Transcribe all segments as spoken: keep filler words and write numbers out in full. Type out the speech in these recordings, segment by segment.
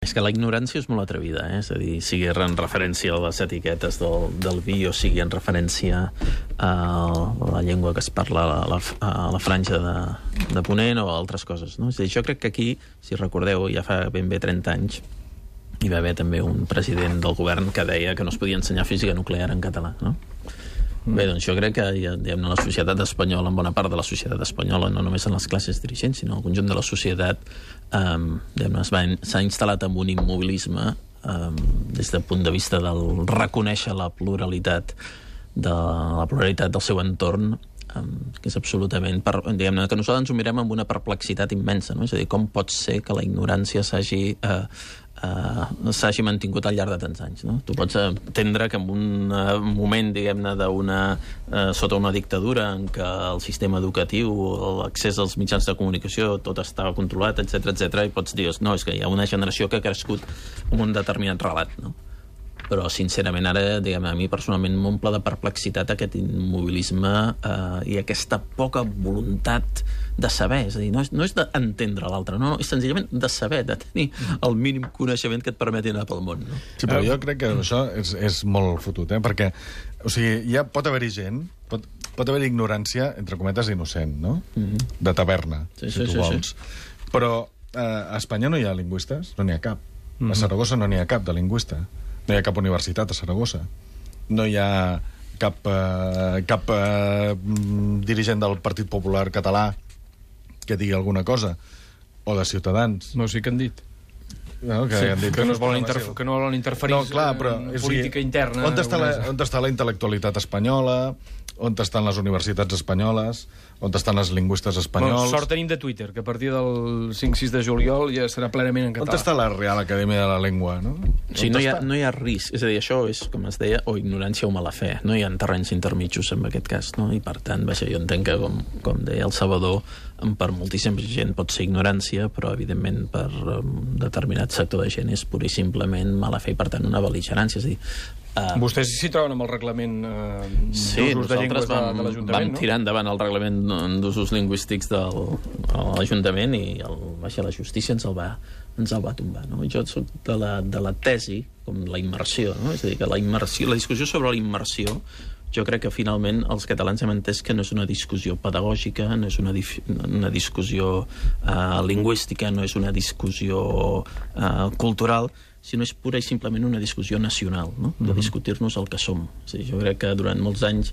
És que la ignorància és molt atrevida, eh? És a dir, sigui en referència a les etiquetes del, del vi o sigui en referència a la llengua que es parla a la, a la franja de, de Ponent o a altres coses, no? És a dir, jo crec que aquí, si recordeu, ja fa ben bé trenta anys, hi va haver també un president del govern que deia que no es podia ensenyar física nuclear en català, no? Mm. Bé, doncs jo crec que ja, diguem, la societat espanyola, en bona part de la societat espanyola, no només en les classes dirigents, sinó el conjunt de la societat, eh, s'ha instal·lat en un immobilisme eh, des del punt de vista del reconèixer la pluralitat de la pluralitat del seu entorn, eh, que és absolutament, per, diguem-ne, que nosaltres ens ho mirem amb una perplexitat immensa, no? És a dir, com pot ser que la ignorància s'hagi eh, Uh, s'hagi mantingut al llarg de tants anys, no? Tu pots entendre que en un uh, moment, diguem-ne, d'una uh, sota una dictadura en què el sistema educatiu, l'accés als mitjans de comunicació, tot estava controlat, etcètera, etcètera, i pots dir, no, és que hi ha una generació que ha crescut amb un determinat relat, no? Però, sincerament, ara, diguem, a mi personalment m'omple de perplexitat aquest immobilisme eh, i aquesta poca voluntat de saber. És a dir, no és, no és d'entendre l'altre, no, no, és senzillament de saber, de tenir el mínim coneixement que et permeti anar pel món, no? Sí, però jo crec que això és, és molt fotut, eh? Perquè, o sigui, ja pot haver-hi gent, pot, pot haver-hi ignorància, entre cometes, innocent, no? Mm-hmm. De taverna, sí, si sí, tu sí, vols. Sí. Però eh, a Espanya no hi ha lingüistes, no n'hi ha cap. Mm-hmm. A Saragossa no n'hi ha cap de lingüista. No hi ha cap universitat a Saragossa. No hi ha cap, eh, cap eh, dirigent del Partit Popular català que digui alguna cosa. O de Ciutadans. No, sí que han dit. No, que, sí, han dit que, no es volen interf que no volen interferir no, clar, però, en política interna. On està, la, on està la intel·lectualitat espanyola? On estan les universitats espanyoles? On estan els lingüistes espanyols? Bueno, sort tenim de Twitter, que a partir del cinc sis de juliol ja serà plenament en català. On està la Real Acadèmia de la Llengua, no? Sí, no hi, ha, no hi ha risc. És a dir, això és, com es deia, o ignorància o mala fe. No hi ha terrenys intermitjos en aquest cas, no? I, per tant, vaja, jo entenc que, com, com deia el Salvador, per moltíssima gent pot ser ignorància, però, evidentment, per um, determinat sector de gent és pur i simplement mala fe i, per tant, una bel·ligerància. És a dir, Uh, Vostès s'hi troben amb el reglament uh, sí, d'usos de llengües vam, de, de l'Ajuntament, vam tirar endavant el reglament d'usos lingüístics de l'Ajuntament i el, baixa, la justícia ens el va, ens el va tombar, no? Jo soc de la, de la tesi, com la immersió, no? És a dir, que la immersió, la discussió sobre la immersió, jo crec que finalment els catalans hem entès que no és una discussió pedagògica, no és una, una discussió uh, lingüística, no és una discussió uh, cultural, sinó és pura i simplement una discussió nacional, no? De discutir-nos el que som. És a dir, jo crec que durant molts anys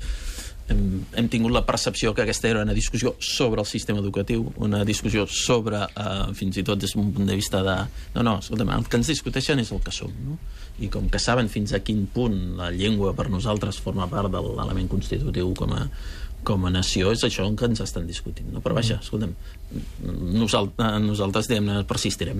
hem, hem tingut la percepció que aquesta era una discussió sobre el sistema educatiu, una discussió sobre, eh, fins i tot des d'un punt de vista de... No, no, escolta'm, el que ens discuteixen és el que som, no? I com que saben fins a quin punt la llengua per nosaltres forma part de l'element constitutiu com a, com a nació, és això que ens estan discutint, no? Però vaja, escolta'm, nosaltres, nosaltres diguem-ne, persistirem.